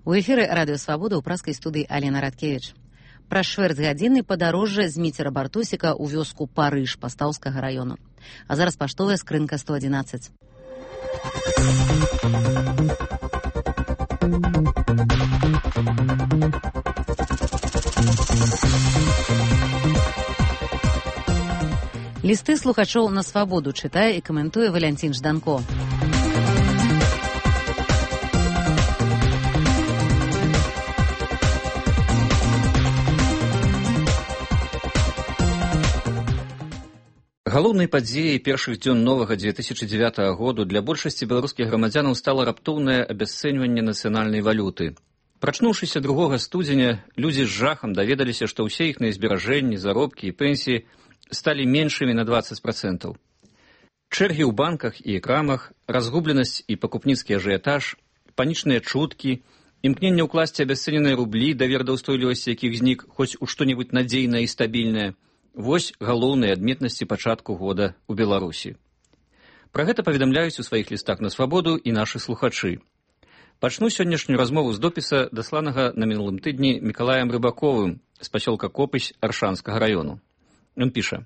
У эфіры радыё Свабода ў праскай студыі Алена Радкевіч. Праз чвэрцьгадзіны падарожжа з міцера Бартусіка ў вёску Парыж Пастаўскага раёну. А зараз паштовая скрынка 111. Лісты слухачоў на Свабоду чытае і каментуе Валянцін Жданко. Галоўнай падзеяй першых дзён новага 2009 году для большасці беларускіх грамадзянаў стала раптоўнае абясцэньванне нацыянальнай валюты. Прачнуўшыся 2 студзеня, людзі з жахам даведаліся, што ўсе іхныя зберажэнні, заробкі і пенсіі сталі меншымі на 20%. Чэргі ў банках і крамах, разгубленасць і пакупніцкі ажыятаж, панічныя чуткі, імкненне ўкласці абясцэненыя рублі, давер да ўстойлівасці якіх знік хоць у што-небудзь надзейнае і стабільнае. Вось галоўныя адметнасці пачатку года ў Беларусі. Пра гэта паведамляюць у сваіх лістах на Свабоду і нашы слухачы. Пачну сённяшнюю размову з допіса, дасланага на мінулым тыдні Мікалаем Рыбаковым з пасёлка Копысь Аршанскага раёну. Ён піша: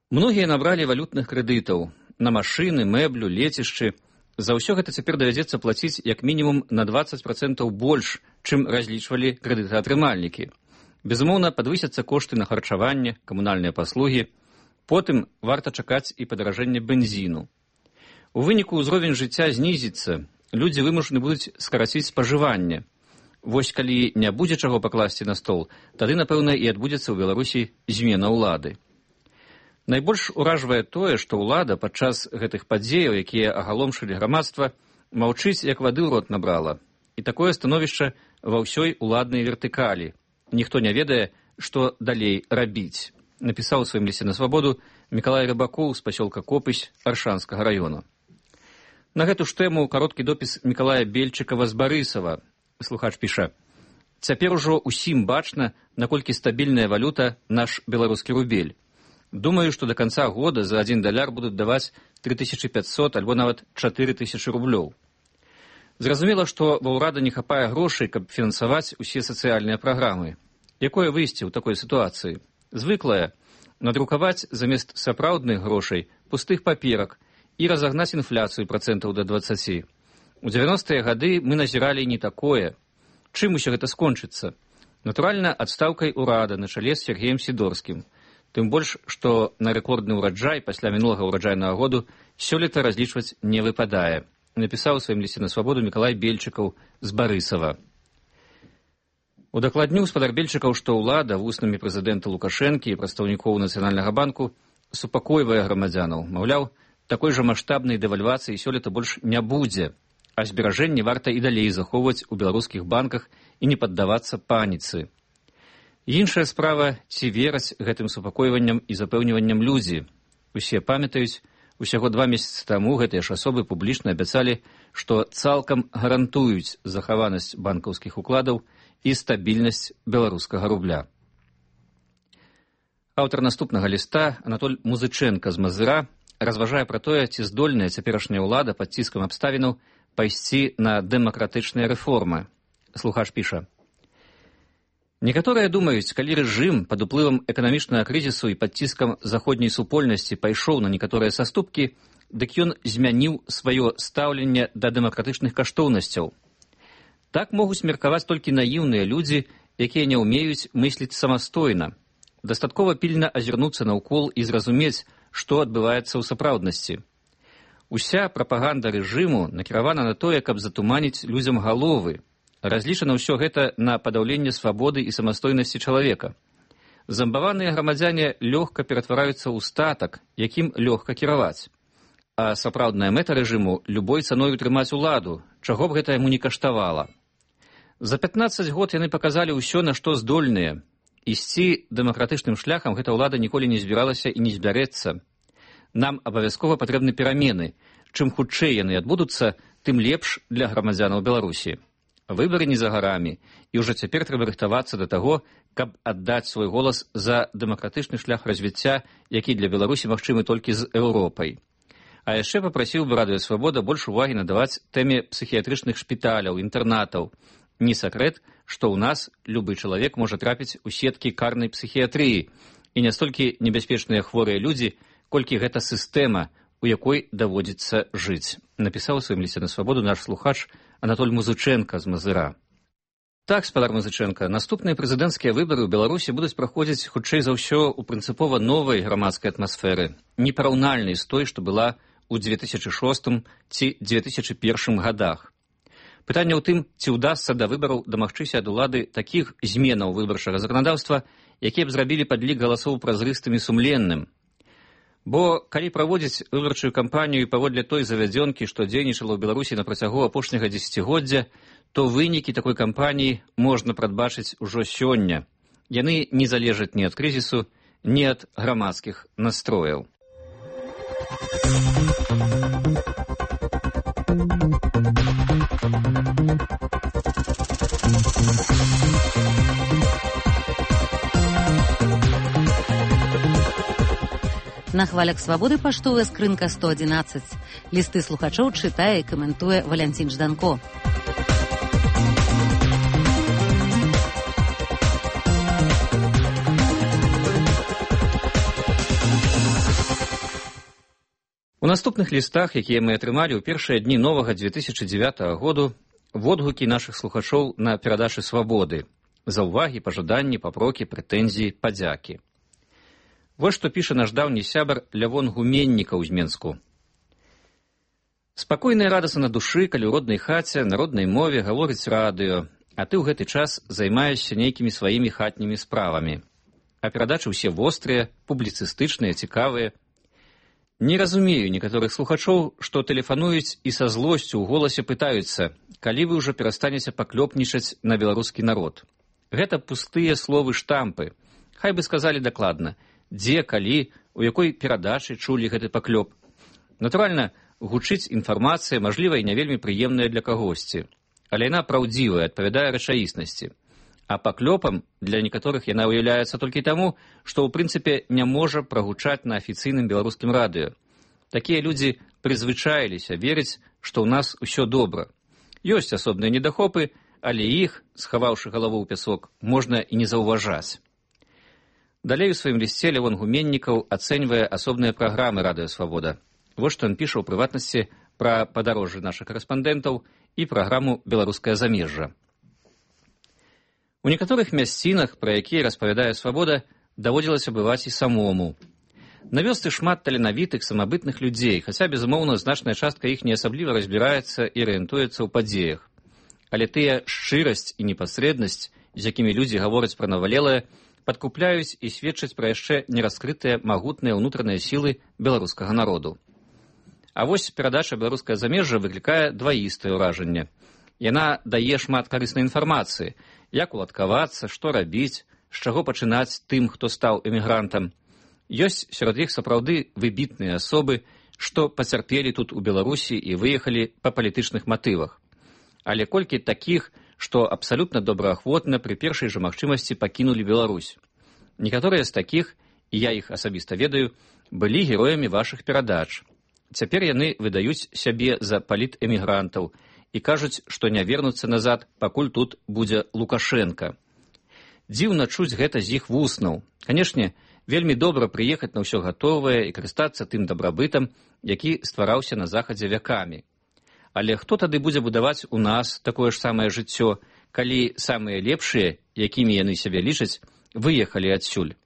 «Многія набралі валютных крэдытаў на машыны, мэблю, лецішчы. За ўсё гэта цяпер давядзецца плаціць як мінімум на 20% больш, чым разлічвалі крэдытаатрымальнікі. Безумоўна, падвысяцца кошты на харчаванне, камунальныя паслугі. Потым варта чакаць і падаражэнне бензіну. У выніку ўзровень жыцця знізіцца, людзі вымушаны будуць скараціць спажыванне. Вось калі не будзе чаго пакласці на стол, тады, напэўна, і адбудзецца ў Беларусі змена ўлады. Найбольш уражвае тое, што ўлада падчас гэтых падзеяў, якія агаломшылі грамадства, маўчыць, як вады ў рот набрала. І такое становішча ва ўсёй уладнай вертыкалі. Ніхто не ведае, што далей рабіць, напісаў у сваім лісце на Свабоду Мікалай Рыбакоў з пасёлка Копысь Аршанскага раёну. На гэту ж тэму кароткі допіс Мікалая Бельчыкава з Барысава. Слухач піша: «Цяпер ужо усім бачна, наколькі стабільная валюта наш беларускі рубель. Думаю, што да канца года за $1 будуць даваць 3500 альбо нават 4000 рублёў. Зразумела, што ва ўрада не хапае грошай, каб фінансаваць усе сацыяльныя праграмы. Якое выйсце ў такой сітуацыі? Звыклае надрукаваць замест сапраўдных грошай пустых паперак і разагнаць інфляцыю процентаў до 20. У 90-е гады мы назіралі не такое. Чым усё гэта скончыцца? Натуральна, адстаўкай урада на чале з Сергеем Сідорскім. Тым больш, што на рэкордны ўраджай пасля мінулага ўраджайнага году сёлета разлічваць не выпадае, напісаў у сваім лісце на Свабоду Мікалай Бельчыкаў з Барысава. Удакладніў спадар Бельчыкаў, што ўлада вуснамі прэзідэнта Лукашэнкі і прадстаўнікоў Нацыянальнага банку супакойвае грамадзянаў. Маўляў, такой жа маштабнай дэвальвацыі сёлета больш не будзе, а зберажэнні варта і далей захоўваць у беларускіх банках і не паддавацца паніцы. Іншая справа, ці вераць гэтым супакойванням і запэўніванням людзі. Усе памятаюць, усяго 2 месяцы таму гэтыя ж асобы публічна абяцалі, што цалкам гарантуюць захаванасць банкаўскіх укладаў і стабільнасць беларускага рубля. Аўтар наступнага ліста, Анатоль Музыченка з Мазыра, разважае пра тое, ці здольная цяперашняя ўлада пад ціскам абставінаў пайсці на дэмакратычныя рэформы. Слухач піша: «Некаторыя думаюць, калі рэжым пад уплывам эканамічнага крызісу і пад ціскам заходняй супольнасці пайшоў на некаторыя саступкі, дык ён змяніў сваё стаўленне да дэмакратычных каштоўнасцяў. Так могуць меркаваць толькі наіўныя людзі, якія не ўмеюць мысліць самастойна. Дастаткова пільна азірнуцца наўкол і зразумець, што адбываецца ў сапраўднасці. Уся прапаганда рэжыму накіравана на тое, каб затуманіць людзям галовы. Разлічана ўсё гэта на падаўленне свабоды і самастойнасці чалавека. Замбаваныя грамадзяне лёгка ператвараюцца ў статак, якім лёгка кіраваць. А сапраўдная мэта рэжыму любой цаной утрымаць уладу, чаго б гэта яму не каштавала. За 15 год яны паказалі ўсё, на што здольныя. Ісці дэмакратычным шляхам гэта ўлада ніколі не збіралася і не збярэцца. Нам абавязкова патрэбны перамены. Чым хутчэй яны адбудуцца, тым лепш для грамадзянаў Беларусі. Выбары не за гарамі, і ўжо цяпер трэба рыхтавацца да таго, каб аддаць свой голас за дэмакратычны шлях развіцця, які для Беларусі магчымы толькі з Еўропай. А яшчэ папрасіў бы Радыё Свабода больш увагі надаваць тэме псіхіятрычных шпіталяў, інтэрнатаў. Не сакрэт, што ў нас любы чалавек можа трапіць у сеткі карнай псіхіятрыі, і не столькі небяспечныя хворыя людзі, колькі гэта сістэма, у якой даводзіцца жыць, напісаў у сваім лісце на Свабоду наш слухач Анатоль Музыченка з Мазыра. Так, спадар Музыченка, наступныя прэзідэнцкія выбары ў Беларусі будуць праходзіць хутчэй за ўсё ў прынцыпова новай грамадскай атмасферы, непараўнальнай з той, што была ў 2006 ці 2001 годах. Пытанне ў тым, ці ўдасца да выбараў дамагчыся ад улады такіх зменаў выбарчага заканадаўства, якія б зрабілі падлік галасоў празрыстым і сумленным. Бо калі праводзіць выбарчую кампанію паводле той завядзёнкі, што дзейнічала ў Беларусі на працягу апошняга дзесяцігоддзя, то вынікі такой кампаніі можна прадбачыць ужо сёння. Яны не залежаць ні ад крызісу, ні ад грамадскіх настрояў. На хвалях Свабоды паштовая скрынка 111. Лісты слухачоў чытае і каментуе Валянцін Жданко. У наступных лістах, якія мы атрымалі ў першыя дні новага 2009 году, водгукі нашых слухачоў на перадачы Свабоды. Заўвагі, пажаданні, папрокі, прэтэнзіі, падзякі. Вось што піша наш даўні сябар Лявон Гуменнікаў з Менску. Спакойна і радасна на душы, калі ў роднай хаце, на роднай мове гаворыць радыё, а ты ў гэты час займаешся нейкімі сваімі хатнімі справамі. А перадачы ўсе вострыя, публіцыстычныя, цікавыя. Не разумею некаторых слухачоў, што тэлефануюць і са злосцю ў голасе пытаюцца, калі вы ўжо перастанеце паклёпнічаць на беларускі народ. Гэта пустыя словы штампы. Хай бы сказалі дакладна, дзе, калі, у якой перадачы чулі гэты паклёп. Натуральна, гучыць інфармацыя, мажліва, і не вельмі прыемная для кагосьці. Але яна праўдзівая, адпавядае рэчаіснасці. А паклёпам для некаторых яна ўяўляецца толькі таму, што ў прынцыпе не можа прагучаць на афіцыйным беларускім радыё. Такія людзі прызвычаіліся верыць, што ў нас усё добра. Ёсць асобныя недахопы, але іх, схаваўшы галаву ў пясок, можна і не заўважаць. Далей у сваім лісце Лявон Гуменнікаў ацэньвае асобныя праграмы Радыё Свабода. Вось што ён піша ў прыватнасці пра падарожжы нашых карэспандэнтаў і праграму «Беларускае замежжа». У некаторых мясцінах, пра якія распавядае Свабода, даводзілася бываць і самому. На вёсцы шмат таленавітых, самабытных людзей, хаця, безумоўна, значная частка іх не асабліва разбіраецца і арыентуецца ў падзеях. Але тыя шчырасць і непасрэднасць, з якімі людзі гавораць пра навалелае, падкупляюць і сведчаць пра яшчэ нераскрытыя магутныя ўнутраныя сілы беларускага народу. А вось перадача «Беларускае замежжа» выклікае дваістае ўражанне. Яна дае шмат карыснай інфармацыі, як уладкавацца, што рабіць, з чаго пачынаць тым, хто стаў эмігрантам. Ёсць сярод іх сапраўды выбітныя асобы, што пацярпелі тут у Беларусі і выехалі па палітычных матывах. Але колькі такіх, што абсалютна добраахвотна пры першай жа магчымасці пакінулі Беларусь. Некаторыя з такіх, і я іх асабіста ведаю, былі героямі вашых перадач. Цяпер яны выдаюць сябе за палітэмігрантаў і кажуць, што не вернуцца назад, пакуль тут будзе Лукашенка. Дзіўна чуць гэта з іх вуснаў. Канешне, вельмі добра прыехаць на ўсё гатовае і карыстацца тым дабрабытам, які ствараўся на захадзе вякамі. Але хто тады будзе будаваць у нас такое ж самае жыццё, калі самыя лепшыя, якімі яны сябе лічаць, выехалі адсюль?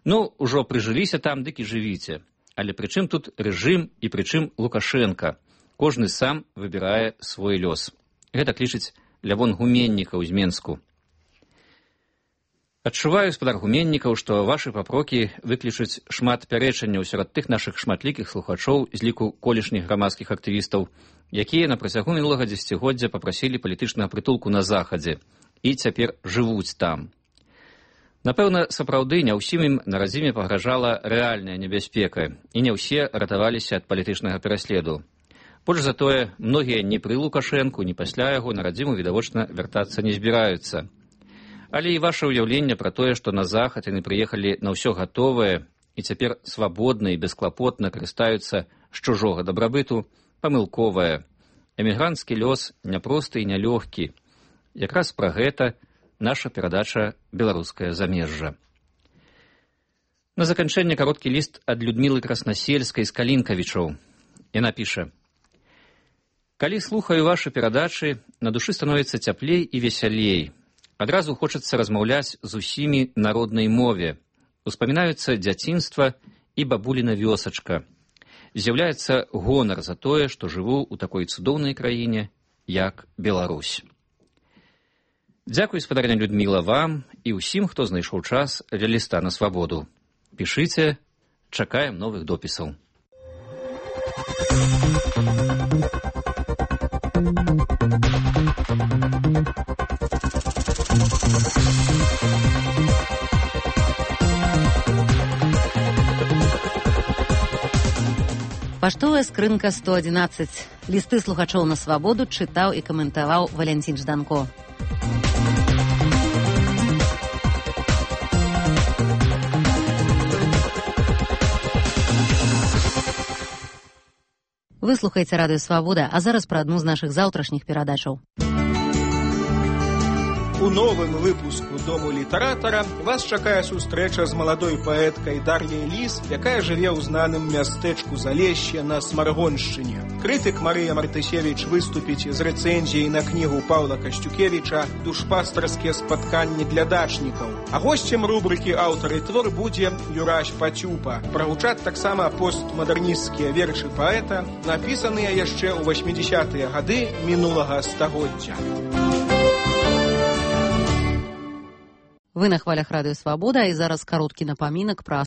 Ну, ужо прыжыліся там, дык і жывіце. Але прычым тут рэжым і прычым Лукашенка? Кожны сам выбірае свой лёс. Гэта лічыць Лявон Гуменнікаў з Менску. Адчуваю, спадар Гуменнікаў, што вашы папрокі выклічуць шмат пярэчанняў сярод тых нашых шматлікіх слухачоў з ліку колішніх грамадскіх актывістаў, якія на працягу мінулага дзесяцігоддзя папрасілі палітычнага прытулку на захадзе і цяпер жывуць там. Напэўна, сапраўды не ўсім ім на радзіме пагражала рэальная небяспека, і не ўсе ратаваліся ад палітычнага пераследу. Больш за тое, многія ні пры Лукашэнку, ні пасля яго на радзіму відавочна вяртацца не збіраюцца. Але і ваше ўяўленне пра тое, што на захад яны прыехалі на ўсё гатовае і цяпер свабодна і бесклапотна карыстаюцца з чужога дабрабыту памылковая. Эмігранцкі лёс няпросты і нялёгкі. Якраз пра гэта наша перадача «Беларускае замежжа». На заканчэнне кароткі ліст ад Людмілы Краснасельскай з Калінкавічаў. Яна піша: «Калі слухаю вашы перадачы, на душы становіцца цяплей і весялей. Адразу хочацца размаўляць з усімі на роднай мове. Успамінаюцца дзяцінства і бабуліна вёсачка. З'яўляецца гонар за тое, што жыву ў такой цудоўнай краіне, як Беларусь». Дзякуй, спадарня Людміла, вам і ўсім, хто знайшоў час для ліста на свабоду. Пішыце, чакаем новых допісаў. Паштовая скрынка 111. Лісты слухачоў на свабоду чытаў і каментаваў Валянцін Жданко. Вы слухаеце радыё «Свабода», а зараз пра адну з нашых заўтрашніх перадачаў. У новым выпуску «Дому літаратара» вас чакае сустрэча з маладой паэткай Дар'яй Ліс, якая жыве ў знаным мястэчку Залешще на Смаргоншчыне. Крытык Марыя Мартысевіч выступіць з рэцэнзіяй на кнігу Паўла Касцюкевіча «Душпастарскія спатканні для дачнікаў». А госцем рубрыкі «Аўтар і твор» будзе Юрась Пацюпа. Прагучаць таксама постмадэрнісцкія вершы паэта, напісаныя яшчэ ў 80-тыя гады мінулага стагоддзя. Вы на хвалях радыё «Свабода», і зараз кароткі напамінак пра